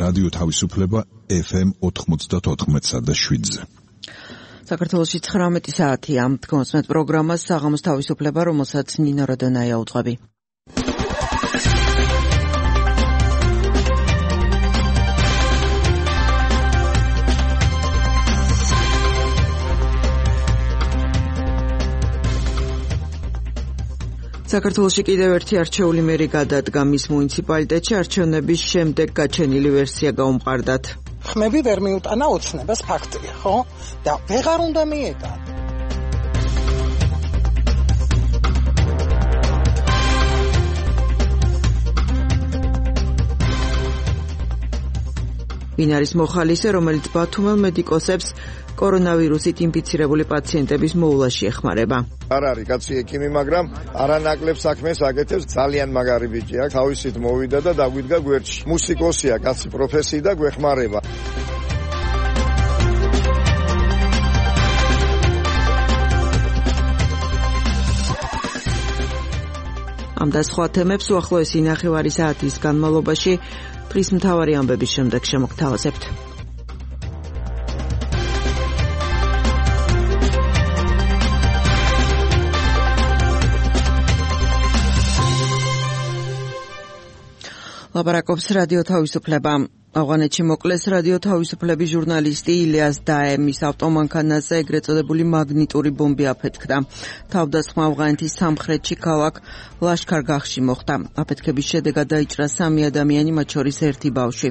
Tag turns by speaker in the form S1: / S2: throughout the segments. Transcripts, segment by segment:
S1: რადიო თავისუფლება FM 94.7-ზე.
S2: საქართველოში 19 საათია. დგომსმეთ პროგრამას საღამოს თავისუფლება, რომელსაც ნინო როდონაია უძღვები. საქართველოში კიდევ ერთი არჩეული მერი გადადგა მის მუნიციპალიტეტში არჩევნების შემდეგ გაჩენილი ვერსია გაუმყარდათ.
S3: ხმები ვერ მიუტანა ოცნებას ფაქტია, ხო? და ვეღარ უნდა მიეტანა.
S2: ვინ არის მოხალისე, რომელიც ბათუმელ მედიკოსებს კორონავირუსით ინფიცირებული პაციენტების მოვლაში ეხმარება?
S4: არ არის კაცი ექიმი, მაგრამ არანაკლებ საქმეს აკეთებს, ძალიან მაგარი ბიჭია, თავისით მოვიდა და დაგვიდგა გვერდში. მუსიკოსია, კაცი პროფესიი და გვეხმარება.
S2: ამ და სხვა თემებს უახლოესი ნახევარი საათის განმავლობაში დღის მთავარი ამბების შემდეგ შემოგთავაზებთ. ლაპარაკობს რადიო თავისუფლება. ავღანეთში მოკლეს რადიო თავისუფლების ჟურნალისტი ილიას დაემის ავტომანქანაზე ეგრეთ წოდებული მაგნიტური ბომბი აფეთქდა. თავდასხმა ავღანეთის სამხრეთში ქალაქ ლაშქარ-გახში მოხდა. აფეთქების შედეგად დაიჭრა 3 ადამიანი, მათ შორის 1 ბავშვი.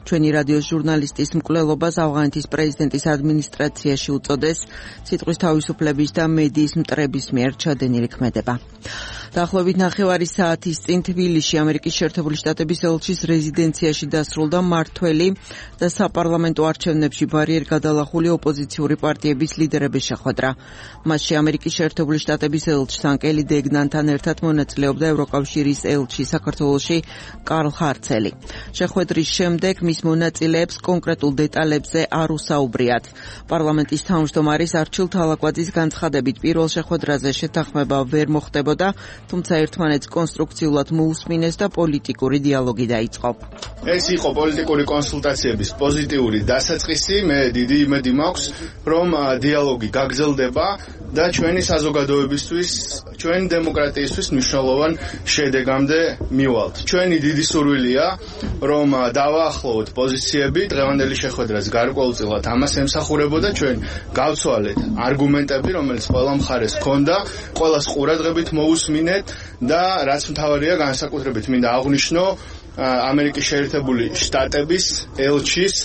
S2: ჩვენი რადიოს ჟურნალისტის მკვლელობას ავღანეთის პრეზიდენტის ადმინისტრაციაში უწოდეს სიტყვის თავისუფლების და მედიის მტრების მიერ ჩადენილი ქმედება. დაახლოებით ნახევარი საათის წინ თბილისში ამერიკის შეერთებული შტატების ელჩის რეზიდენციაში დასრულდა მმართველი და საპარლამენტო არჩევნებში ბარიერ გადალახული ოპოზიციური პარტიების ლიდერების შეხვედრა. მასში ამერიკის შეერთებული შტატების ელჩი ანკელი დეგნანთან ერთად მონაწილეობდა ევროკავშირის ელჩი საქართველოში კარლ ჰარცელი. შეხვედრის შემდეგ მის მონაწილეებს კონკრეტულ დეტალებზე არ უსაუბრიათ. პარლამენტის თავმჯდომარის არჩილ თალაკვაძის განცხადებით პირველ შეხვედრაზე შეთანხმება ვერ მოხდებოდა, თუმცა ერთმანეთს კონსტრუქციულად მოусმინეს და პოლიტიკური დიალოგი დაიწყო.
S5: ეს იყო პოლიტიკური კონსულტაციების პოზიტიური დასაწყისი. მე დიდი იმედი მაქვს, რომ დიალოგი გაგრძელდება და ჩვენი საზოგადოებისთვის, ჩვენი დემოკრატიისთვის მნიშვნელოვან შედეგამდე მივალთ. ჩვენი დიდი სურვილია, რომ დავაახლოვოთ პოზიციები, დღევანდელი შეხვედრაც გარკვეულწილად ამას ემსახურებოდა. ჩვენ გავცვალეთ არგუმენტები, რომელიც ყველა მხარეს ჰქონდა, ყველას ყურადღებით მოусმინეთ და რაც მთავარია, განსაკუთრებით მინდა აღვნიშნო ამერიკის შეერთებული შტატების ელჩის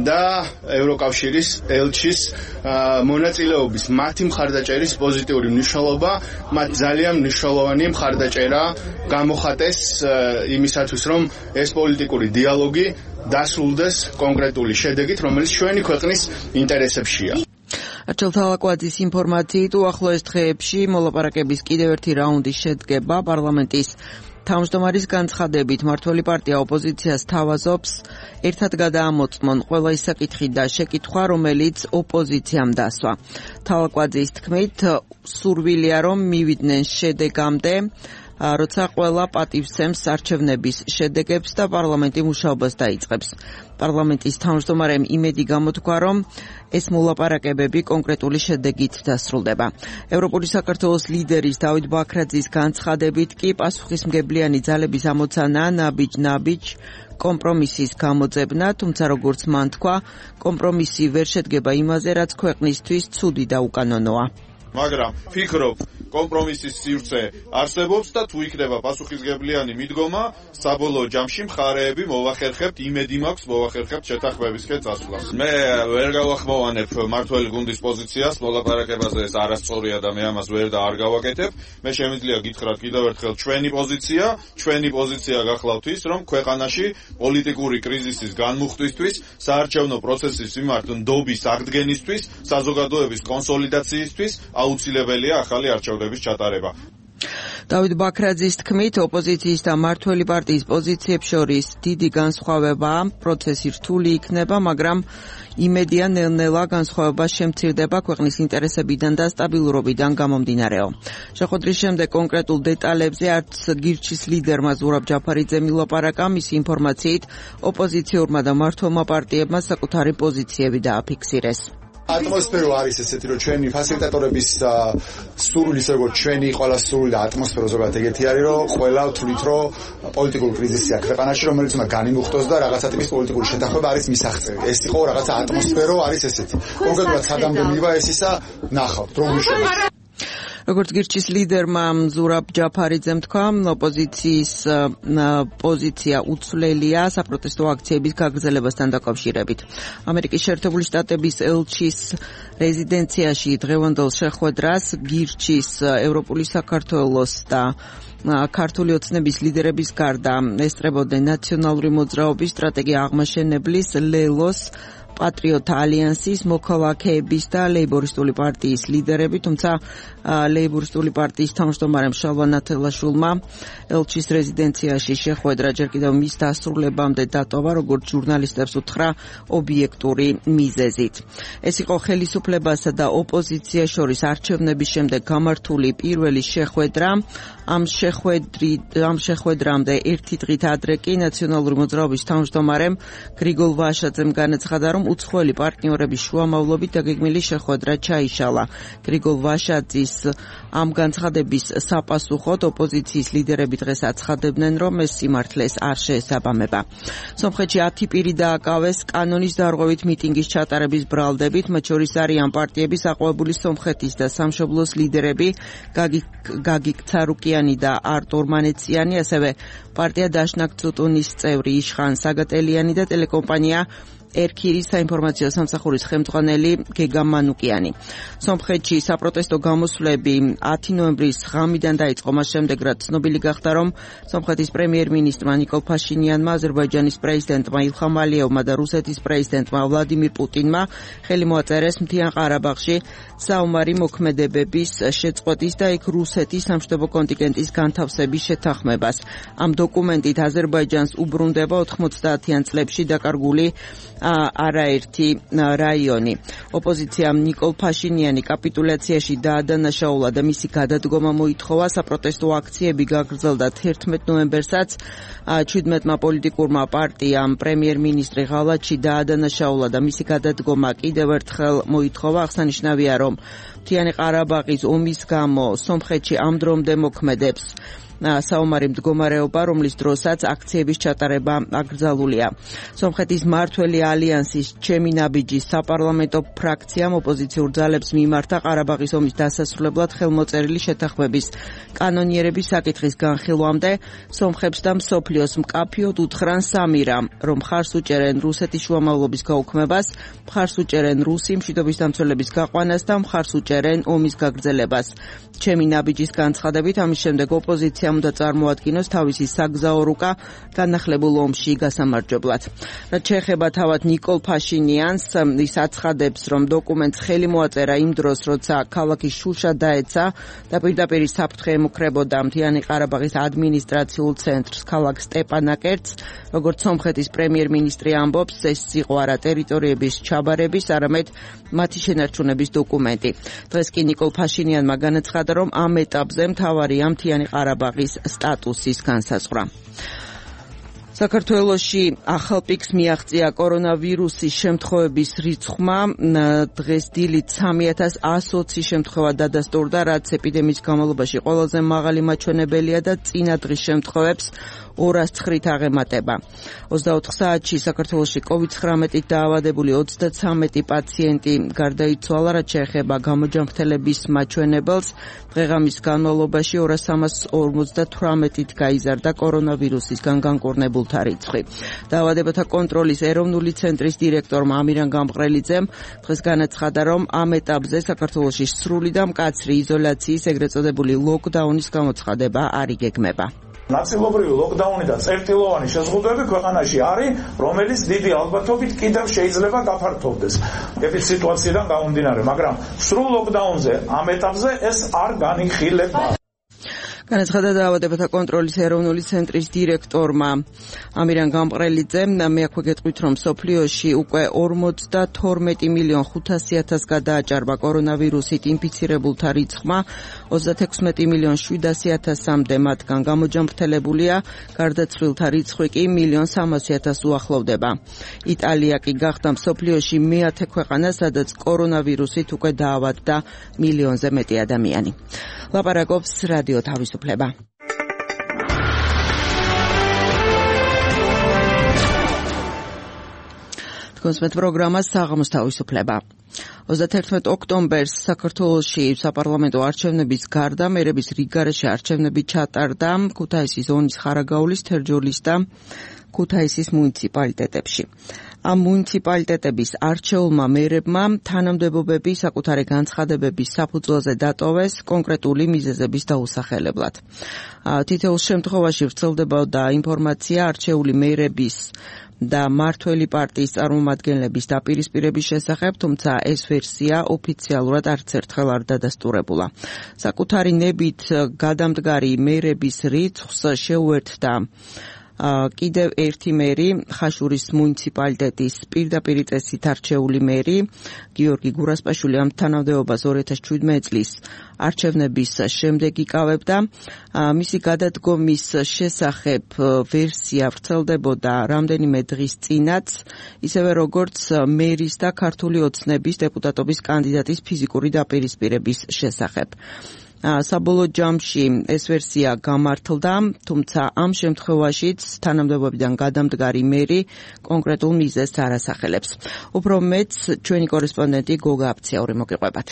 S5: და ევროკავშირის ელჩის მონაწილეობის მათი მხარდაჭერის პოზიტიური მნიშვნელობა. მათ ძალიან მნიშვნელოვანი მხარდაჭერა გამოხატეს იმისათვის, რომ ეს პოლიტიკური დიალოგი დასრულდეს კონკრეტული შედეგით, რომელიც ჩვენი ქვეყნის ინტერესებშია.
S2: არჩილ თალაკვაძის ინფორმაციით უახლოეს დღეებში მოლაპარაკების კიდევ ერთი რაუნდი შედგება. პარლამენტის თავმჯდომარის განცხადებით მმართველი პარტია ოპოზიციას თავაზობს ერთად გადაამოწმონ ყველა ის საკითხი და შეკითხვა, რომელიც ოპოზიციამ დასვა. თალაკვაძის თქმით, სურვილია რომ მივიდნენ შედეგამდე, როცა ყველა პატივცემს არჩევნების შედეგებს და პარლამენტი მუშაობას დაიწყებს. პარლამენტის თავმჯდომარემ იმედი გამოთქვა, რომ ეს მოლაპარაკებები კონკრეტული შედეგით დასრულდება. ევროპული საქართველოს ლიდერის დავით ბაქრაძის განცხადებით კი პასუხისმგებლიანი ძალების ამოცანა ნაბიჯ-ნაბიჯ კომპრომისის გამოძებნა, თუმცა როგორც მან თქვა, კომპრომისი ვერ შედგება იმაზე, რაც ქვეყნისთვის ცუდი და უკანონოა.
S6: მაგრამ ფიქრობ, კომპრომისის სივრცე არსებობს და თუ იქნება პასუხისმგებლიანი მიდგომა, საბოლოო ჯამში მხარეები მოვახერხებთ, იმედი მაქვს მოვახერხებთ შეთანხმებისკენ წასვლას. მე ვერ გავახმოვანებ მმართველი გუნდის პოზიციას მოლაპარაკებაზე, ეს არასწორია და მე ამას ვერ და არ გავაკეთებ. მე შემიძლია გითხრათ კიდევ ერთხელ ჩვენი პოზიცია გახლავთ ის, რომ ქვეყანაში პოლიტიკური კრიზისის განმუხტვისთვის, საარჩევნო პროცესის მიმართ ნდობის აღდგენისთვის, საზოგადოების კონსოლიდაციისთვის აუცილებელია ახალი არჩევნების ჩატარება.
S2: დავით ბაქრაძის თქმით, ოპოზიციის და მმართველი პარტიის პოზიციებს შორის დიდი განსხვავებაა, პროცესი რთული იქნება, მაგრამ იმედია ნელ-ნელა განსხვავება შემცირდება ქვეყნის ინტერესებიდან და სტაბილურობიდან გამომდინარეო. შეხვედრის შემდეგ კონკრეტულ დეტალებზე არც გირჩის ლიდერმა ზურაბ ჯაფარიძემ ილაპარაკა, მისი ინფორმაციით ოპოზიციურმა და მმართველმა პარტიებმა საკუთარი პოზიციები დააფიქსირეს.
S7: ატმოსფერო არის ესეთი, რომ ჩვენი ფასილიტატორების სურვილი ისე როგორც ჩვენი ყველა სურვილი და ატმოსფერო ზოგადად ეგეთი არის, რომ ყველა თვლით, რომ პოლიტიკური კრიზისია ქვეყანაში, რომელიც უნდა განიმუხტოს და რაღაცა ტიპის პოლიტიკური შეთანხმება არის მისაღწევი. ეს იყო რაღაცა ატმოსფერო არის ესეთი. კონკრეტულად სადამდე მივა ეს ისა ნახავთ, რომ უშუალოდ
S2: როგორც გირჩის ლიდერმა ზურაბ ჯაფარიძემ თქვა, ოპოზიციის პოზიცია უცვლელია საპროტესტო აქციების გაგრძელებასთან დაკავშირებით. ამერიკის შეერთებული შტატების ელჩის რეზიდენციაში დღევანდელ შეხვედრას გირჩის ევროპული საქართველოს და ქართული ოცნების ლიდერების გარდა ესწრებოდნენ ნაციონალური მოძრაობის სტრატეგია აღმაშენებლის ლელოს პატრიოტ ალიანსის მოქალაქეების და ლეიბორისტული პარტიის ლიდერები, თუმცა ლეიბორისტული პარტიის თავმჯდომარემ შალვა ნათელაშვილმა ელჩის რეზიდენციაში შეხვედრა ჯერ კიდევ მის დასრულებამდე დატოვა, როგორც ჟურნალისტებს უთხრა ობიექტური მიზეზით. ეს იყო ხელისუფლებასა და ოპოზიციას შორის არჩევნების შემდეგ გამართული პირველი შეხვედრა. ამ შეხვედრამდე ერთი დღით ადრე კი ნაციონალური მოძრაობის თავმჯდომარემ გრიგოლ ვაშაძემ განაცხადა, რომ უცხოელი პარტნიორების შუამავლობით დაგეგმილი შეხვედრა ჩაიშალა. გრიგოლ ვაშაძის ამ განცხადების საპასუხოდ ოპოზიციის ლიდერები დღეს აცხადებდნენ, რომ ეს სიმართლეს არ შეესაბამება. სომხეთში 10 პირი დააკავეს კანონის დარღვევით მიტინგის ჩატარების ბრალდებით, მათ შორის არიან პარტიების აყვავებული სომხეთის და სამშობლოს ლიდერები გაგიკ ცარუკიანი და არტურ მანეციანი, ასევე პარტია დაშნაკ ცუტუნის წევრი იშხან საგატელიანი და ტელეკომპანია ერქირის საინფორმაციო სამსახურის ხელმძღვანელი გეგა მანუკიანი. სომხეთში საპროტესტო გამოსვლები 10 ნოემბრის ღამიდან დაიწყო, მას შემდეგ რაც ცნობილი გახდა, რომ სომხეთის პრემიერ-მინისტრმა ნიკოლ ფაშინიანმა, აზერბაიჯანის პრეზიდენტმა ილხამ ალიევმა და რუსეთის პრეზიდენტმა ვლადიმირ პუტინმა ხელი მოაწერეს მთიან ყარაბაღში საომარი მოქმედებების შეწყვეტის და იქ რუსეთის სამშვიდობო კონტინგენტის განთავსების შეთანხმებას. ამ დოკუმენტით აზერბაიჯანს უბრუნდება 90-იან წლებში დაკარგული არაერთი რაიონი. ოპოზიციამ ნიკოლ ფაშინიანი კაპიტულაციაში დაადანაშაულა და მისი გადადგომა მოითხოვა. საპროტესტო აქციები გაგრძელდა 11 ნოემბერსაც. 17-მა პოლიტიკურმა პარტიამ პრემიერ-მინისტრი ღალატში დაადანაშაულა და მისი გადადგომა კიდევ ერთხელ მოითხოვა. აღსანიშნავია, რომ მთიანი ყარაბაღის ომის გამო სომხეთში ამ დრომდე მოქმედებს საომარი მდგომარეობა, რომლის დროსაც აქციების ჩატარება აკრძალულია. სომხეთის მმართველი ალიანსის ჩემი ნაბიჯის საპარლამენტო ფრაქციამ ოპოზიციურ ძალებს მიმართა ყარაბაღის ომის დასასრულებლად ხელმოწერილი შეთანხმების კანონიერების საკითხის განხილვამდე. სომხებს და მსოფლიოს მკაფიოდ უთხრან სამი რამ, რომ მხარს უჭერენ რუსეთის შუამავლობის გაუქმებას, მხარს უჭერენ რუსი მშვიდობის დამცველების გაყვანას და მხარს უჭერენ ომის გაგრძელებას. ჩემი ნაბიჯის განცხადებით, ამის შემდეგ ოპოზიცია უნდა წარმოადგინოს თავისი საგზაო რუკა განახლებულ ომში გასამარჯვებლად. რაც შეეხება თავად ნიკოლ ფაშინიანს, ის აცხადებს, რომ დოკუმენტს ხელი მოაწერა იმ დროს, როცა ქალაქი შუშა დაეცა და პირდაპირ საფრთხე ემუქრებოდა მთიანი ყარაბაღის ადმინისტრაციულ ცენტრს ქალაქ სტეპანაკერტს. როგორც სომხეთის პრემიერ-მინისტრი ამბობს, ეს იყო არა ტერიტორიების ჩაბარების, არამედ მათი შენარჩუნების დოკუმენტი. დღეს კი ნიკოლ ფაშინიანმა განაცხადა, რომ ამ ეტაპზე მთავარია მთიანი ყარაბაღის სტატუსის განსაზღვრა. საქართველოში ახალ პიკს მიაღწია კორონავირუსის შემთხვევების რიცხვმა. დღეს დილით 3120 შემთხვევა დადასტურდა, რაც ეპიდემიის განმავლობაში ყველაზე მაღალი მაჩვენებელია და წინა დღის შემთხვევებს 209-ით აღემატება. 24 საათში საქართველოში COVID-19-ით დაავადებული 33 პაციენტი გარდაიცვალა, რაც შეეხება გამოჯანმრთელების მაჩვენებელს. დღეღამის განმავლობაში 2358-ით გაიზარდა კორონავირუსისგან განკურნებულთა რიცხვი. დაავადებათა კონტროლის ეროვნული ცენტრის დირექტორმა ამირან გამყრელიძემ დღეს განაცხადა, რომ ამ ეტაპზე საქართველოში სრული და მკაცრი იზოლაციის, ეგრეთ წოდებული ლოკდაუნის გამოცხადება არ იგეგმება.
S8: ნაწილობრივი ლოკდაუნი და წერტილოვანი შეზღუდვები ქვეყანაში არის, რომელიც დიდი ალბათობით კიდევ შეიძლება გაფართოვდეს ეპიდემიის სიტუაციიდან გამომდინარე, მაგრამ სრულ ლოკდაუნზე ამ ეტაპზე ეს არ განიხილება.
S2: განაცხადა დაავადებათა კონტროლის ეროვნული ცენტრის დირექტორმა ამირან გამყრელიძემ. მეაქვე გეტყვით, რომ სოფლიოში უკვე 42,500,000 გადააჭარბა კორონავირუსით ინფიცირებულთა რიცხვმა, 36,700,000-მდე მათგან გამოჯამრთელებულია, გარდაცვლილთა რიცხვი კი 1,300,000 უახლოვდება. იტალია კი გახდა სოფლიოში მეათე ქვეყანა, სადაც კორონავირუსით უკვე დაავადდა 1,000,000-ზე მეტი ადამიანი. ლაპარაკობს რადიო თავისუფლება. კონსმეთ პროგრამა საღამოს თავისუფლება. 31 ოქტომბერს საქართველოში საპარლამენტო არჩევნების გარდა მერების რიგგარეშე არჩევნები ჩატარდა ქუთაისის ზონის ხარაგაულის, თერჯოლის და ქუთაისის მუნიციპალიტეტებში. ამ მუნიციპალიტეტების არჩეულმა მერებმა თანამდებობები საკუთარი განცხადებების საფუძველზე დატოვეს კონკრეტული მიზეზების დაუსახელებლად. თითოეულ შემთხვევაში ვრცელდებოდა ინფორმაცია არჩეული მერების და მართველი პარტიის წარმომადგენლების დაპირისპირების შესახებ, თუმცა ეს ვერსია ოფიციალურად არც ერთხელ არ დადასტურებულა. საკუთარი ნებით გადამდგარი მერების რიცხვს შეუერთდა კიდევ ერთი მერი, ხაშურის მუნიციპალიტეტის პირდაპირ წესით არჩეული მერი, გიორგი გურასპაშვილი ამ თანამდებობას 2017 წლის არჩევნების შემდეგ იკავებდა. მისი გადადგომის შესახებ ვერსია ვრცელდებოდა რამდენიმე დღის წინაც, ისევე როგორც მერის და ქართული ოცნების დეპუტატობის კანდიდატის ფიზიკური დაპირისპირების შესახებ. საბოლოო ჯამში ეს ვერსია გამართლდა, თუმცა ამ შემთხვევაშიც თანამდებობიდან გადამდგარი მერი კონკრეტულ მიზეზს არ ასახელებს. უფრო მეტს ჩვენი კორესპონდენტი გოგა აფციური მოგიყვებათ.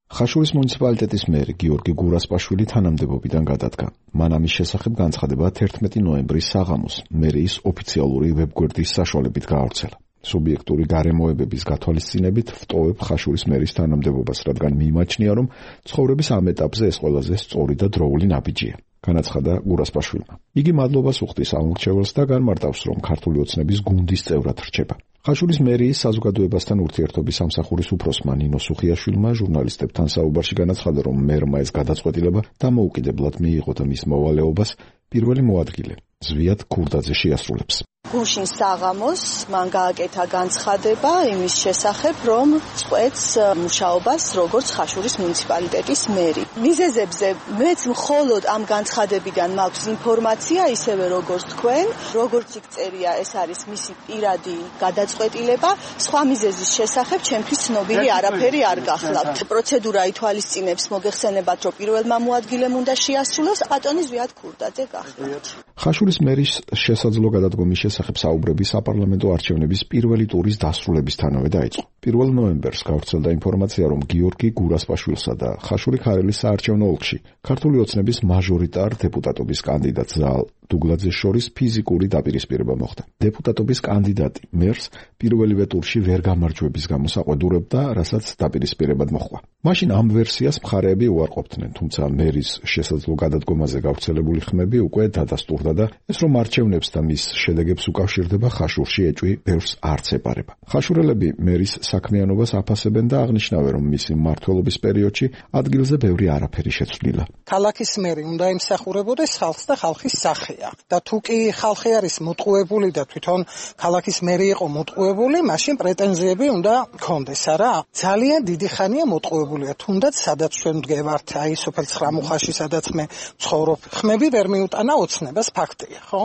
S9: ხაშურის მუნიციპალიტეტის მერი გიორგი გურასპაშვილი თანამდებობიდან გადადგა. მან ამის შესახებ განცხადება 11 ნოემბრის საღამოს მერიის ოფიციალური ვებგვერდის საშუალებით გაავრცელა. სუბიექტური გარემოებების გათვალისწინებით ვტოვებ ხაშურის მერის თანამდებობას, რადგან მიმაჩნია, რომ ცხოვრების ამ ეტაპზე ეს ყველაზე სწორი და დროული ნაბიჯია. განაცხადა გურასპაშვილმა. იგი მადლობას უხდის ამორჩეველს და განმარტავს, რომ ქართული ოცნების გუნდის წევრად რჩება. ხაშურის მერიის საზოგადოებასთან ურთიერთობის სამსახურის უფროსმა ნინო სუხიაშვილმა ჟურნალისტებთან საუბარში განაცხადა, რომ მერმა ეს გადაწყვეტილება დამოუკიდებლად მიიღო და მის მოვალეობას პირველი მოადგილე ზვიად ქურდაძე შეასრულებს.
S10: გუშინ საღამოს მან გააკეთა განცხადება იმის შესახებ, რომ წყვეტს მუშაობას როგორც ხაშურის მუნიციპალიტეტის მერი. მიზეზებზე მეც მხოლოდ ამ განცხადებიდან მაქვს ინფორმაცია, ისევე როგორც თქვენ, როგორც იქ წერია, ეს არის მისი პირადი გადაწყვეტილება, სხვა მიზეზის შესახებ ჩემთვის ცნობილი არაფერი არ გახლავთ. პროცედურა ითვალისწინებს, მოგეხსენებათ, რომ პირველმა მოადგილემ უნდა შეასრულოს, ბატონი ზვიად ქურდაძე გახლავთ.
S9: ხაშურის მერის შესაძლო გადადგომის შესახებ საუბრები საპარლამენტო არჩევნების პირველი ტურის დასრულებისთანავე დაიწყო. 1 ნოემბერს გავრცელდა ინფორმაცია, რომ გიორგი გურასპაშვილსა და ხაშური ქარელის საარჩევნო ოლქში ქართული ოცნების მაჟორიტარ დეპუტატობის კანდიდატ ზაალ დუგლაძეს შორის ფიზიკური დაპირისპირება მოხდა. დეპუტატობის კანდიდატი მერს პირველივე ტურში ვერ გამარჯვების გამო საყვედურებდა, რასაც დაპირისპირებად მოჰყვა. მაშინ ამ ვერსიას მხარეები უარყოფდნენ, თუმცა მერის შესაძლო გადადგომაზე გავრცელებული ხმები უკვე დადასტურდა და ეს რომ არჩევნებს და მის შედეგებს უკავშირდება ხაშურში ეჭვი ბევრს არც ეპარება. ხაშურელები მერის საქმიანობას აფასებენ და აღნიშნავენ, რომ მისი მმართველობის პერიოდში ადგილზე ბევრი არაფერი შეცვლილა.
S3: ქალაქის მერი უნდა იმსახურებოდეს ხალხს და ხალხის სახეა. და თუ კი ხალხი არის მოტყუებული და თვითონ ქალაქის მერი იყო მოტყუებული, მაშინ პრეტენზიები უნდა გქონდეს, არა? ძალიან დიდი ხანია მოტყუებულია, თუნდაც სადაც ჩვენ მდგევართ, აი სოფელ ცხრამუხაში, სადაც მე ვცხოვრობ, ხმები ვერ მიუტანა ოცნებას, ფაქტია, ხო?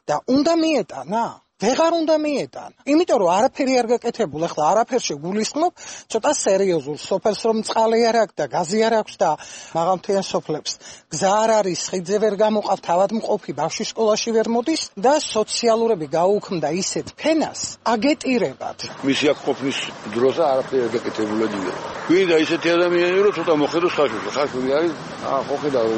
S3: და უნდა მიეტანა. ვეღარ უნდა მიეტანა. იმიტომ რომ არაფერი არ გაკეთებულა, ახლა არაფერში გულისხმობ, ცოტა სერიოზულ სოფელს რომ წყალი არ აქვს და გაზი არ აქვს და მაღალმთიან სოფლებს გზა არ არის, ხიდზე ვერ გამოყავთ, ავადმყოფი ბავშვი სკოლაში ვერ მოდის და სოციალურები გაუქმდა ისეთ ფენას აგეტირებად.
S11: მისი აქ ყოფნის დროზე არაფერი არ გაკეთებულა. გვინდა ისეთი ადამიანი რომ ცოტა მოხედოს ხაშური. ხაშური არის, ხო ხედავ,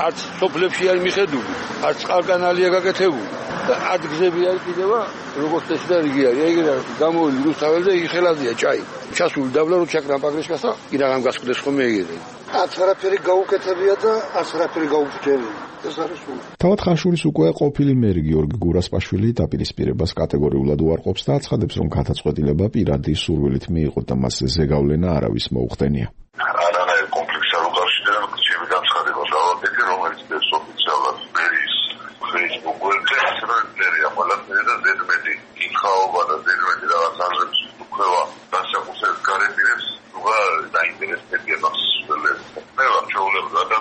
S11: არც სოფლებში არ მიხედული, არც წყალკანალია გაკეთებული. და ადგზები არის კიდევა როგორც ეს და რიგი არის. ეგ გამოვილი რუსთაველზე იგი ხელაზია ჭაი. ჩასული დაბლა რო ჩაკრა პაგრიშკას და კიდაღამ გასკვდეს ხომ ეგრე. არც არაფერი გაუკეთებია და არც არაფერი გაუჭერია. ეს არის სულ.
S9: თავად ხაშურის უკვე ყოფილი მერი გიორგი გურასპაშვილი დაპირისპირებას კატეგორიულად უარყოფს და აცხადებს, რომ გადაწყვეტილება პირადი სურვილით მიიღო და მას ზეგავლენა არავის მოუხდენია.
S12: არანაირ კონფლიქტს არ უკავშირდება ჩემი განცხადება, რომელიც სოფლის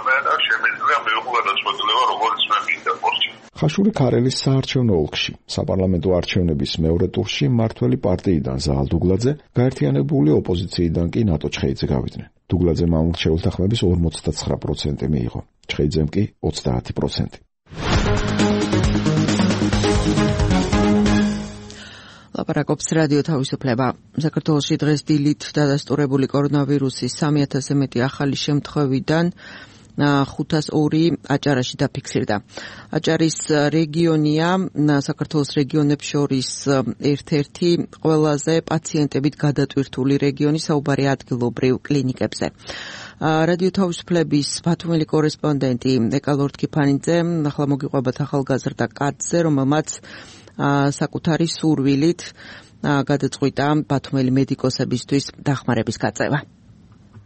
S12: ადამიანს შემიძლია მიიღო გადაწყვეტილება, როგორც მე მინდა პორტში.
S9: ხაშური ქარელის საარჩევნო ოლქში საპარლამენტო არჩევნების მეორე ტურში მმართველი პარტიიდან ზაალ დუგლაძე, გაერთიანებული ოპოზიციიდან კი ნატო ჩხეიძე გავიდნენ. დუგლაძემ ამ შეუთანხმების 59% მიიღო, ჩხეიძემ კი 30%.
S2: ლაპარაკობს რადიო თავისუფლება. საქართველოში დღეს დილით დადასტურებული კორონავირუსის 3000-ზე მეტი ახალი შემთხვევიდან 502 აჭარაში დაფიქსირდა. აჭარის რეგიონია საქართველოს რეგიონებს შორის ერთ-ერთი ყველაზე პაციენტებით გადატვირთული რეგიონი საუბარია ადგილობრივ კლინიკებზე. რადიო თავისუფლების ბათუმელი კორესპონდენტი ეკალორდ კიფანიძე ახლა მოგიყვებათ ახალგაზრდა კაცზე, რომელმაც საკუთარი სურვილით გადაწყვიტა ბათუმელი მედიკოსებისთვის დახმარების გაწევა.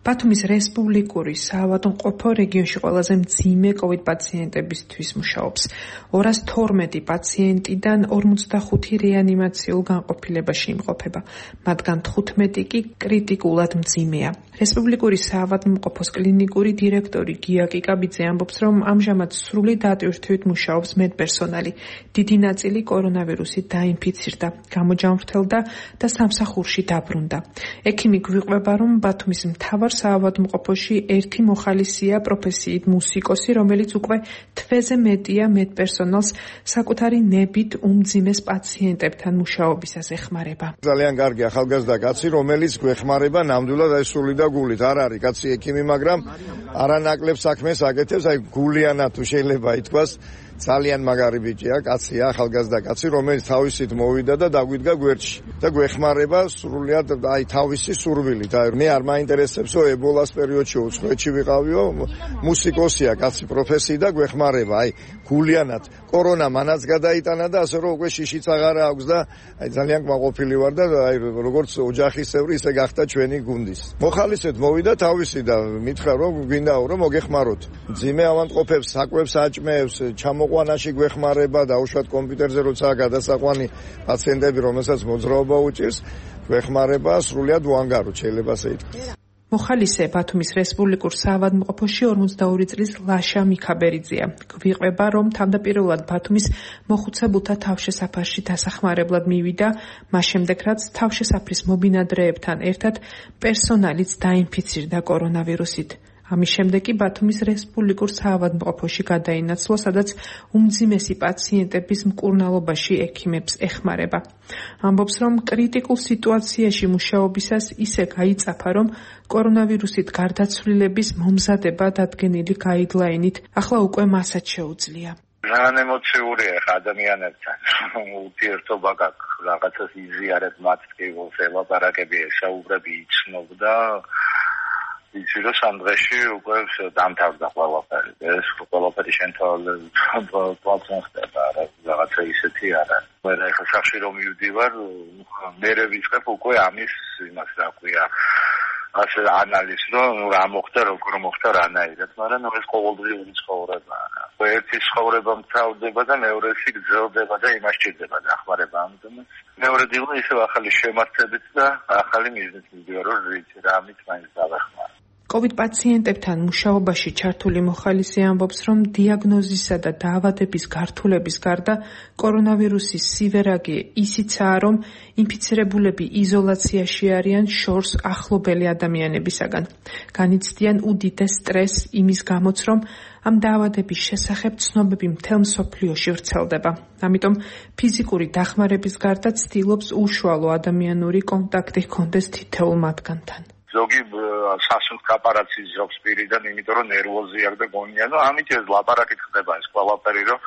S13: ბათუმის რესპუბლიკური საავადმყოფო რეგიონში ყველაზე მძიმე COVID პაციენტებისთვის მუშაობს. 212 პაციენტიდან 45 რეანიმაციულ განყოფილებაში იმყოფება, მათგან 15 კი კრიტიკულად მძიმეა. რესპუბლიკური საავადმყოფოს კლინიკური დირექტორი გია კიკაბიძე ამბობს, რომ ამჟამად სრული დატვირთვით მუშაობს მედპერსონალი. დიდი ნაწილი კორონავირუსით დაინფიცირდა, გამოჯამრთელდა და სამსახურში დაბრუნდა. ექიმი გვიყვება, რომ ბათუმის მთავარ საავადმყოფოში ერთი მოხალისეა პროფესიით მუსიკოსი, რომელიც უკვე თვეზე მეტია მედპერსონალს საკუთარი ნებით უმძიმეს პაციენტებთან მუშაობისას ეხმარება.
S4: ძალიან კარგი ახალგაზრდა კაცი, რომელიც გვეხმარება ნამდვილად აი სული და გულით. არ არის კაცი ექიმი, მაგრამ არანაკლებ საქმეს აკეთებს, აი გულიანად თუ შეიძლება ითქვას. ძალიან მაგარი ბიჭია, კაცია, ახალგაზრდა კაცი, რომელიც თავისით მოვიდა და დაგვიდგა გვერდში და გვეხმარება სრულიად აი თავისი სურვილით. აი მე არ მაინტერესებსო ებოლას პერიოდში უცხოეთში ვიყავიო, მუსიკოსია კაცი პროფესიით და გვეხმარება. აი გულიანად კორონა მანაც გადაიტანა და ასე რომ უკვე შიშიც აღარ აქვს და აი ძალიან კმაყოფილი ვარ და აი როგორც ოჯახისებრი ისე გახდა ჩვენი გუნდის. მოხალისედ მოვიდა თავისი და მითხრა რომ გვინდაო რომ მოგეხმაროთ. ძიმე ავადმყოფებს, საკვებს აჭმევს, ჩამოყვანაში გვეხმარება და უშუალოდ კომპიუტერზე როცა გადასაყვანი პაციენტები, რომელსაც მოძრაობა უჭირს, გვეხმარება სრულიად უანგაროდ, შეიძლება ასე ითქვას.
S13: მოხალისე ბათუმის რესპუბლიკურ საავადმყოფოში 42 წლის ლაშა მიქაბერიძეა. გვიყვება, რომ თავდაპირველად ბათუმის მოხუცებულთა თავშესაფარში დასახმარებლად მივიდა, მას შემდეგ რაც თავშესაფრის მობინადრეებთან ერთად პერსონალიც დაინფიცირდა კორონავირუსით. ამის შემდეგ კი ბათუმის რესპუბლიკურ საავადმყოფოში გადაინაცვლა, სადაც უმძიმესი პაციენტების მკურნალობაში ექიმებს ეხმარება. ამბობს, რომ კრიტიკულ სიტუაციაში მუშაობისას ისე გაიწაფა, რომ კორონავირუსით გარდაცვლილების მომზადება დადგენილი გაიდლაინით ახლა უკვე მასაც შეუძლია.
S12: ძალიან ემოციურია ადამიანებთან. ურთიერთობა გაქვს, რაღაცას იზიარებ მათ ტკივილს, ელაპარაკები, ესაუბრები, იცნობ და იცი რომ სამ დღეში უკვე დამთავრდა ყველაფერი. ეს ყველაფერი შენთავაზებაც ხდება, რაღაცა ისეთი არა. მე ახლა სახში რომ მივდივარ, მე ვიწყებ უკვე ამის იმას რა ქვია, ასე ანალიზს, რომ რა მოხდა, როგორ მოხდა რანაირად, მაგრამ ეს ყოველდღიური ცხოვრებაა. ერთი ცხოვრება მთავრდება და მეორესი გრძელდება და იმას ჭირდება დახმარება. ამიტომ მეორე დილა ისევ ახალი შემართებით და ახალი მიზნით მივდივარ, რომ რამით მაინც დავეხმარო.
S13: COVID პაციენტებთან მუშაობაში ჩართული მოხალისე ამბობს, რომ დიაგნოზისა და დაავადების გართულების გარდა კორონავირუსის სივერაგი ისიცაა, რომ ინფიცირებულები იზოლაციაში არიან შორს ახლობელი ადამიანებისაგან. განიცდიან უდიდეს სტრესს იმის გამოც, რომ ამ დაავადების შესახებ ცნობები მთელ მსოფლიოში ვრცელდება. ამიტომ ფიზიკური დახმარების გარდა ცდილობს უშუალო ადამიანური კონტაქტი ჰქონდეს თითოეულ მათგანთან.
S12: ზოგი სასუნთ კაპარაცის ზოგს პირიდან, იმიტომ რომ ნერვოზი აქვს და გონია, ну ამით ეს ლაპარაკით ხდება ეს ყველაფერი, რომ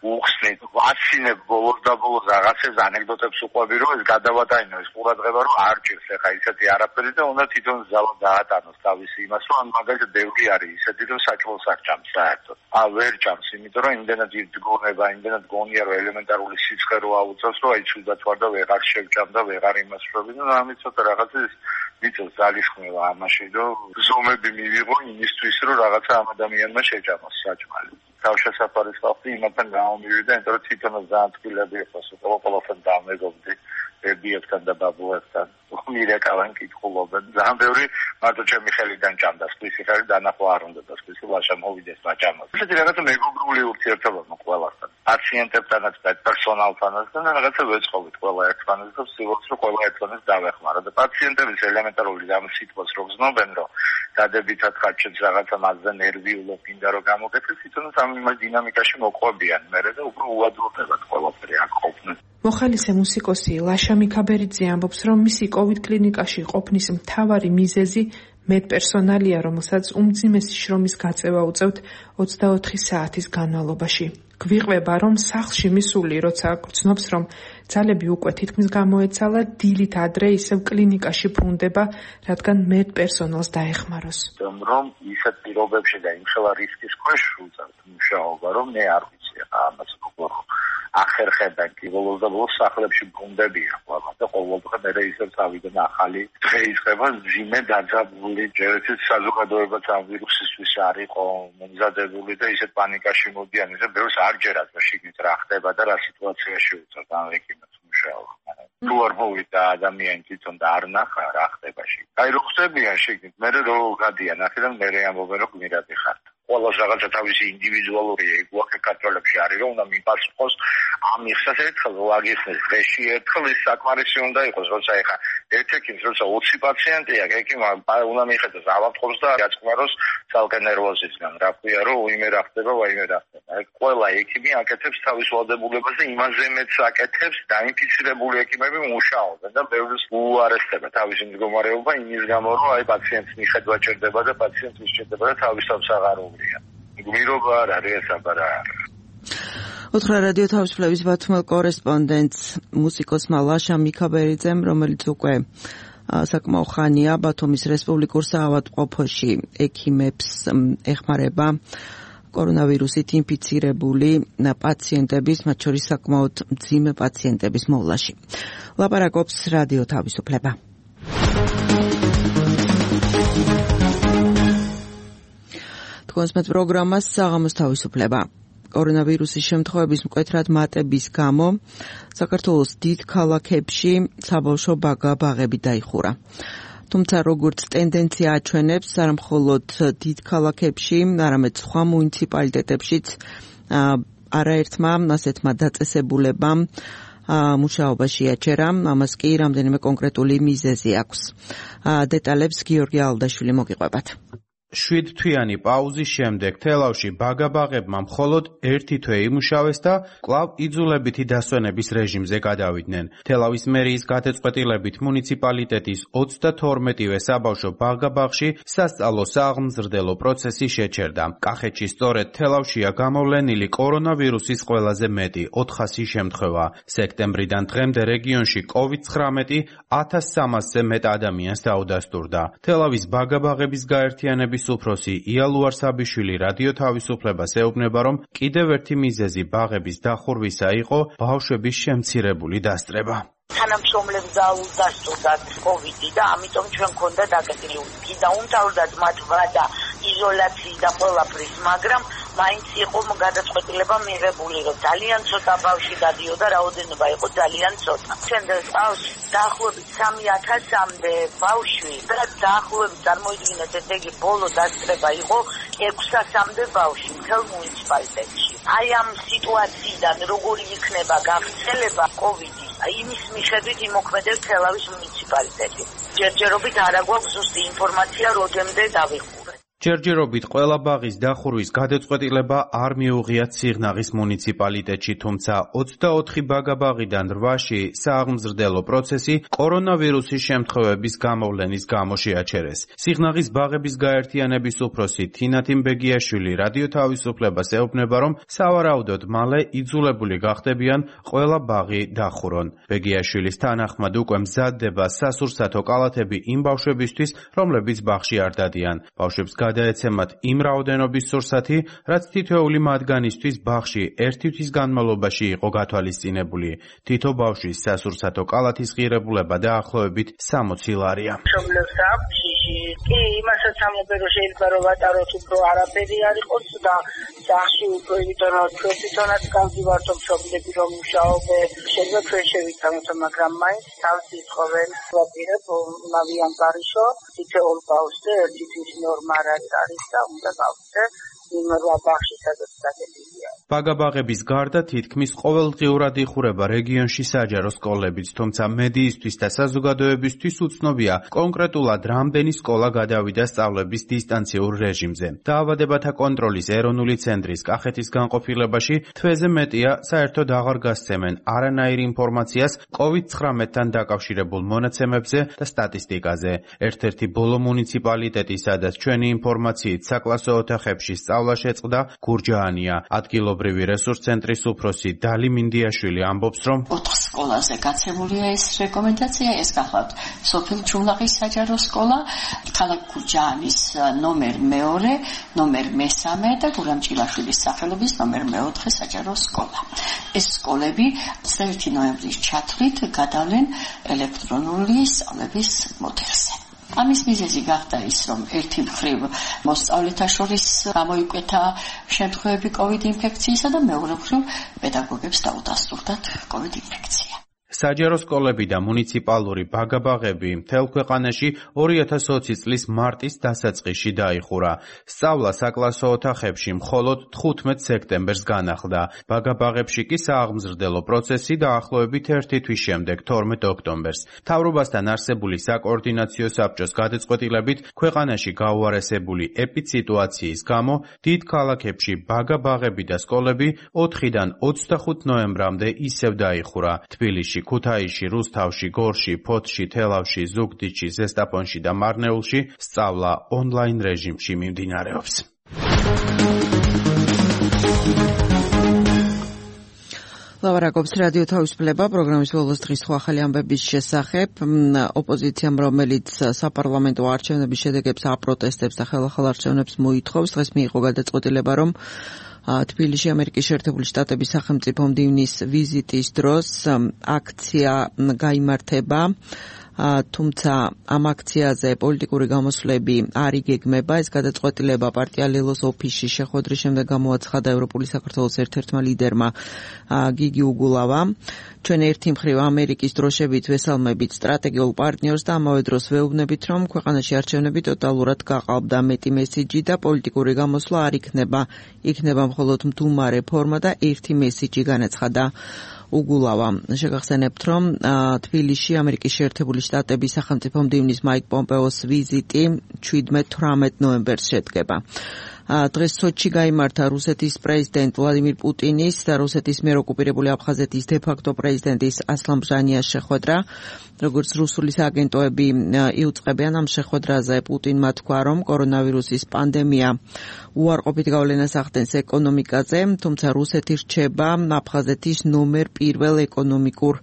S12: უხსნით, ვაცინებ ბოლოს და ბოლოს რაღაცებს ანეკდოტებს უყვები, რომ ეს გადავატანო, ეს ყურადღება რომ არ ჭირს ახლა ისეთი არაფერი და უნდა თვითონ ზალა დაატანოს თავისი იმას, რომ ამ მაგალითად ბევრი არის ისეთი, რომ საჭმელს არ ჭამს საერთოდ. ვერ ჭამს, იმიტომ რომ იმდენად იდგონება, იმდენად გონია, რომ ელემენტარული სიცხე რო აუწევს, რომ აი ცუდად ვარ და ვეღარ შევჭამ და ვეღარ იმასრობი, ну ამით ცოტა რაღაცას მიწევს ძალისხმევა ამაში, რომ ზომები მივიღო იმისთვის, რომ რაღაცა ამ ადამიანმა შეჭამოს საჭმელი. თავშესაფარის ხალხი იმათთან გამომივიდა, იმიტომ რომ თვითონაც ძალიან თბილები იყო, ყველაფერთან დამეგობდი. ბებიებთან და ბაბუებთან მირეკავენ კითხულობენ. ძალიან ბევრი მარტო ჩემი ხელიდან ჭამდა, სხვისი ხელი დანახვა არ უნდა და სხვისი ლაშა მოვიდეს მაჭამას. ესეთი რაღაცა მეგობრული ურთიერთობა ყველასთან. პაციენტებთანაც და პერსონალთანაც და რაღაცა ვეწყობით ყველა ერთმანეთს და ვცდილობთ რომ ყველა ერთმანეთს დავეხმარო და პაციენტების ელემენტარული ამ სიტყვას რო გზნობენ რომ დადებითად ხარჯებს რაღაცა მასზე ნერვიულობ გინდა რომ გამოგეცეს, თვითონაც ამ დინამიკაში მოყვებიან მერე და უფრო უადვილდებათ ყველაფერი აქ ყოფნა.
S13: მოხალისე მუსიკოსი ლაშა მიქაბერიძე ამბობს, რომ მისი COVID კლინიკაში ყოფნის მთავარი მიზეზი მედპერსონალია, რომელსაც უმძიმესი შრომის გაწევა უწევთ 24 საათის განმავლობაში. გვიყვება, რომ სახლში მისული, როცა გრძნობს, რომ ძალები უკვე თითქმის გამოეცალა, დილით ადრე ისევ კლინიკაში ბრუნდება, რადგან მედპერსონალს დაეხმაროს.
S12: რომ ისეთ პირობებში და იმხელა რისკის ქვეშ უწევთ მუშაობა, რომ მე არ ვიცი ამას როგორ ახერხებენ კი ბოლოს და ბოლოს სახლებში ბრუნდებიან ყველა და ყოველდღე მე ისევ წავიდნენ ახალი დღე იწყება ძიმე დაძაბული ჯერეთის საზოგადოებაც ამ ვირუსისთვის არ იყო მომზადებული და ისეთ პანიკაში მოდიან ისე ბევრს არ ჯერათ რომ შიგნით რა ხდება და რა სიტუაციაში უწევთ ამ ეკიმებს მუშაობა თუ არ მოვიდა ადამიანი თვითონ და არ ნახა რა ხდება შიგნით აი რო ხდებიან შიგნით მე რო გადიან აქედან მე ამბობენ რომ გმირადი ხართ ყველას რაღაცა თავისი ინდივიდუალური ეგვახე კანტროლებში არის რომ უნდა მიპასუხოს ამ იხსას ერთხელ ვაგიხსნეს დღეში ერთხელ ის საკმარისი უნდა იყოს როცა ეხა ერთ-ერთი როცა 20 პაციენტია ეკიმა უნდა მიხედოს ავადმყოფს და გაწყმაროს ცალკე ნერვოზისგან რა ქვია რომ უიმე რა ხდება ვაიმე რა ხდება აი ყველა ეკიმი აკეთებს თავის ვალდებულებას და იმაზე მეც აკეთებს დაინფიცირებული ეკიმები მუშაობენ და ბევრს უარესდება თავისი მდგომარეობა იმის გამო რომ აი პაციენტს მიხედვა ჭირდება და პაციენტს მისჭირდება და თავის თავს აღარ გმირობა არ არის ეს აბარა
S2: ოთხრა რადიო თავისუფლების ბათუმელ კორესპონდენტს მუსიკოსმა ლაშა მიქაბერიძემ, რომელიც უკვე საკმაო ხანია ბათუმის რესპუბლიკურ საავადმყოფოში ექიმებს ეხმარება კორონავირუსით ინფიცირებული პაციენტების, მათ შორის საკმაოდ მძიმე პაციენტების მოვლაში. ლაპარაკობს რადიო თავისუფლება. თქვენს პროგრამას საღამოს თავისუფლება. კორონავირუსის შემთხვევების მკვეთრად მატების გამო საქართველოს დიდ ქალაქებში საბავშვო ბაღები დაიხურა. თუმცა როგორც ტენდენცია აჩვენებს, არა მხოლოდ დიდ ქალაქებში, არამედ სხვა მუნიციპალიტეტებშიც არაერთმა ასეთმა დაწესებულებამ მუშაობაში აჩერა, ამას კი რამდენიმე კონკრეტული მიზეზი აქვს. დეტალებს გიორგი ალდაშვილი მოგიყვებათ.
S14: 7 თვიანი პაუზის შემდეგ თელავში ბაღებმა მხოლოდ 1 თვე იმუშავეს და კვლავ იძულებითი დასვენების რეჟიმზე გადავიდნენ. თელავის მერიის გადაწყვეტილებით მუნიციპალიტეტის 32-ვე საბავშვო ბაღში სასწავლო სააღმზრდელო პროცესი შეჩერდა. კახეთში სწორედ თელავშია გამოვლენილი კორონავირუსის ყველაზე მეტი 400 შემთხვევა. სექტემბრიდან დღემდე რეგიონში COVID-19 1300-ზე მეტ ადამიანს დაუდასტურდა. თელავის ბაღების გაერთიანების უფროსი იალუარ საბიშვილი რადიო თავისუფლებას ეუბნება, რომ კიდევ ერთი მიზეზი ბაღების დახურვისა იყო ბავშვების შემცირებული დასწრება.
S15: თანამშრომლებს დაუდასტურდათ COVID და ამიტომ ჩვენ გქონდა დაკეტილი და უმთავრესად მათ ვადა იზოლაციის და ყველაფრის, მაგრამ მაინც იყო გადაწყვეტილება მიღებული, რომ ძალიან ცოტა ბავშვი გადიოდა, რაოდენობა იყო ძალიან ცოტა. შემდეგ ბავშვი დაახლოებით 3000-მდე ბავშვი და დაახლოებით წარმოიდგინეთ, ესე იგი ბოლო დასწრება იყო 600-მდე ბავშვი მთელ მუნიციპალიტეტში. აი ამ სიტუაციიდან როგორი იქნება გავრცელება COVID-ის, იმის მიხედვით იმოქმედებს თელავის მუნიციპალიტეტი. ჯერჯერობით არ აგვაქვს ზუსტი ინფორმაცია, რამდენიმდე დავიხურეთ.
S14: ჯერჯერობით ყველა ბაღის დახურვის გადაწყვეტილება არ მიუღიათ სიღნაღის მუნიციპალიტეტში, თუმცა 24 ბაღიდან 8-ში სააღმზრდელო პროცესი კორონავირუსის შემთხვევების გამოვლენის გამო შეაჩერეს. სიღნაღის ბაღების გაერთიანების უფროსი თინათინ ბეგიაშვილი რადიო თავისუფლებას ეუბნება, რომ სავარაუდოდ მალე იძულებული გახდებიან ყველა ბაღი დახურონ. ბეგიაშვილის თანახმად უკვე მზადდება სასურსათო კალათები იმ ბავშვებისთვის, რომლებიც ბაღში არ დადიან. ბავშვებს გადაეცემათ იმ რაოდენობის სურსათი, რაც თითოეული მათგანისთვის ბაღში 1 თვის განმავლობაში იყო გათვალისწინებული. თითო ბავშვის სასურსათო კალათის ღირებულება დაახლოებით 60 ლარია.
S15: მშობლებს აქვს სახლში. კი, იმასაც ამბობენ, რომ შეიძლება რომ ვატაროთ უფრო არაფერი არ იყოს და სახში უფრო ვიტანოთ თვითონაც გავდივართ მშობლები რომ მუშაობენ. შეიძლება ჩვენ შევიტანოთ, მაგრამ მაინც თავს ითხოვენ ვაპირებ მავიან გარიშო, თითოეულ ბავშვზე ერთი თვის ნორმა არის და უნდა გავხდე იმ ბავშვი სადაც დაგებია.
S14: ბაგაბაღების გარდა თითქმის ყოველდღიურად იხურება რეგიონში საჯარო სკოლებიც, თუმცა მედიისთვის და საზოგადოებისთვის უცნობია კონკრეტულად რამდენი სკოლა გადავიდა სწავლების დისტანციურ რეჟიმზე. დაავადებათა კონტროლის ეროვნული ცენტრის კახეთის განყოფილებაში თვეზე მეტია საერთოდ აღარ გასცემენ არანაირ ინფორმაციას COVID-19-თან დაკავშირებულ მონაცემებზე და სტატისტიკაზე. ერთ-ერთი ბოლო მუნიციპალიტეტი, სადაც ჩვენი ინფორმაციით საკლასო ოთახებში სწავლა შეწყდა, გურჯაანია. ადგილობრივი რესურს ცენტრის უფროსი დალი მინდიაშვილი ამბობს, რომ
S16: 4 სკოლაზე გაცემულია ეს რეკომენდაცია, ეს გახლავთ სოფელ ჩულაღის საჯარო სკოლა, ქალაქ გურჯაანის ნომერ 2, ნომერ 3 და გურამჭილაშვილის სახელობის ნომერ 4 საჯარო სკოლა. ეს სკოლები 21 ნოემბრის ჩათვლით გადავლენ ელექტრონული სწავლების მოდელზე. ამის მიზეზი გახდა ის, რომ ერთი მხრივ მოსწავლეთა შორის გამოიკვეთა შემთხვევები COVID ინფექციისა და მეორე მხრივ პედაგოგებს დაუდასტურდათ COVID ინფექცია.
S14: საჯარო სკოლები და მუნიციპალური ბაგაბაღები მთელ ქვეყანაში 2020 წლის მარტის დასაწყისში დაიხურა. სწავლა საკლასო ოთახებში მხოლოდ 15 სექტემბერს განახლდა. ბაგაბაღებში კი სააღმზრდელო პროცესი დაახლოებით 1 თვის შემდეგ 12 ოქტომბერს. მთავრობასთან არსებული საკოორდინაციო საბჭოს გადაწყვეტილებით ქვეყანაში გაუარესებული ეპიდსიტუაციის გამო დიდ ქალაქებში ბაგაბაღები და სკოლები 4-დან 25 ნოემბრამდე ისევ დაიხურა. თბილისში, ქუთაისში, რუსთავში, გორში, ფოთში, თელავში, ზუგდიდში, ზესტაფონში და მარნეულში სწავლა ონლაინ რეჟიმში მიმდინარეობს.
S2: ლავარაკობს რადიო თავისუფლება პროგრამის ბოლოს დღის ახალი ამბების შესახებ. ოპოზიციამ, რომელიც საპარლამენტო არჩევნების შედეგებს აპროტესტებს და ხელახალ არჩევნებს მოითხოვს, დღეს მიიღო გადაწყვეტილება, რომ თბილისში ამერიკის შეერთებული შტატების სახელმწიფო მდივნის ვიზიტის დროს აქცია გაიმართება, თუმცა ამ აქციაზე პოლიტიკური გამოსვლები არ იგეგმება. ეს გადაწყვეტილება პარტია ლელოს ოფისში შეხვედრის შემდეგ გამოაცხადა ევროპული საქართველოს ერთ-ერთმა ლიდერმა გიგი უგულავამ. ჩვენ ერთი მხრივ ამერიკის დროშებით ვესალმებით სტრატეგიულ პარტნიორს და ამავე დროს ვეუბნებით, რომ ქვეყანაში არჩევნები ტოტალურად გაყალბდა. მეტი მესიჯი და პოლიტიკური გამოსვლა არ იქნება. იქნება მხოლოდ მდუმარე ფორმა და ერთი მესიჯი, განაცხადა უგულავა. შეგახსენებთ, რომ თბილისში ამერიკის შეერთებული შტატების სახელმწიფო მდივნის მაიკ პომპეოს ვიზიტი 17-18 ნოემბერს შედგება. დღეს სოჩში გაიმართა რუსეთის პრეზიდენტ ვლადიმირ პუტინის და რუსეთის მიერ ოკუპირებული აფხაზეთის დე-ფაქტო პრეზიდენტის ასლან ბჟანიას შეხვედრა. როგორც რუსული სააგენტოები იუწყებიან, ამ შეხვედრაზე პუტინმა თქვა, რომ კორონავირუსის პანდემია უარყოფით გავლენას ახდენს ეკონომიკაზე, თუმცა რუსეთი რჩება აფხაზეთის ნომერ 1 ეკონომიკურ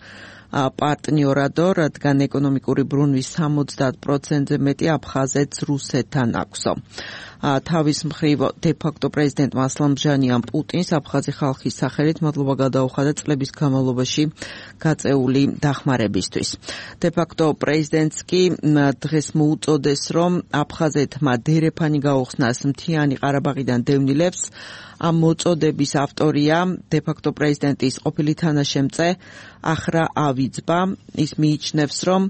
S2: პარტნიორადო, რადგან ეკონომიკური ბრუნვის 70%-ზე მეტი აფხაზეთს რუსეთთან აქვსო. თავის მხრივ დე-ფაქტო პრეზიდენტმა ასლან ბჟანიამ პუტინს აფხაზი ხალხის სახელით მადლობა გადაუხადა წლების განმავლობაში გაწეული დახმარებისთვის. დე-ფაქტო პრეზიდენტს კი დღეს მოუწოდეს, რომ აფხაზეთმა დერეფანი გაუხსნას მთიანი ყარაბაღიდან დევნილებს. ამ მოწოდების ავტორია დე-ფაქტო პრეზიდენტის ყოფილი თანაშემწე ახრა ავიძბა. ის მიიჩნევს, რომ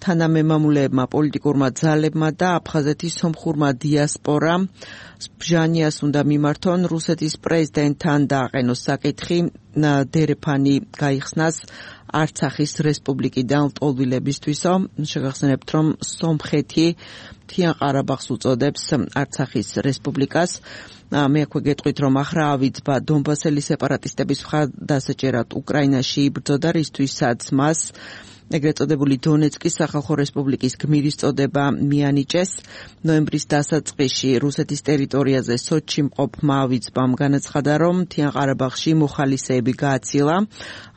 S2: თანამემამულეებმა, პოლიტიკურმა ძალებმა და აფხაზეთის სომხურმა დიასპორამ ბჟანიას უნდა მიმართონ რუსეთის პრეზიდენტთან დააყენოს საკითხი დერეფანი გაიხსნას არცახის რესპუბლიკიდან ლტოლვილებისთვისო. შეგახსენებთ, რომ სომხეთი მთიან ყარაბაღს უწოდებს არცახის რესპუბლიკას. მე აქვე გეტყვით, რომ ახრა ავიძბა დონბასელი სეპარატისტების მხარდასაჭერად უკრაინაში იბრძოდა, რისთვისაც მას ეგრეთ წოდებული დონეცკის სახალხო რესპუბლიკის გმირის წოდება მიანიჭეს. ნოემბრის დასაწყისში რუსეთის ტერიტორიაზე სოჩში მყოფმა ავიძბამ განაცხადა, რომ მთიან ყარაბაღში მოხალისეები გააცილა.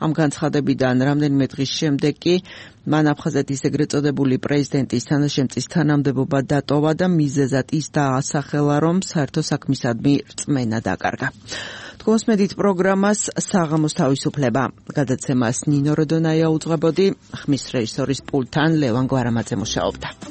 S2: ამ განცხადებიდან რამდენიმე დღის შემდეგ კი მან აფხაზეთის ეგრეთ წოდებული პრეზიდენტის თანაშემწის თანამდებობა დატოვა და მიზეზად ის დაასახელა, რომ საერთო საქმისადმი რწმენა დაკარგა. გოსმედით პროგრამას საღამოს თავისუფლება. გადაცემას ნინო როდონაია უძღვებოდი, ხმის რეჟისორის პულტთან ლევან გვარამაძე მუშაობდა.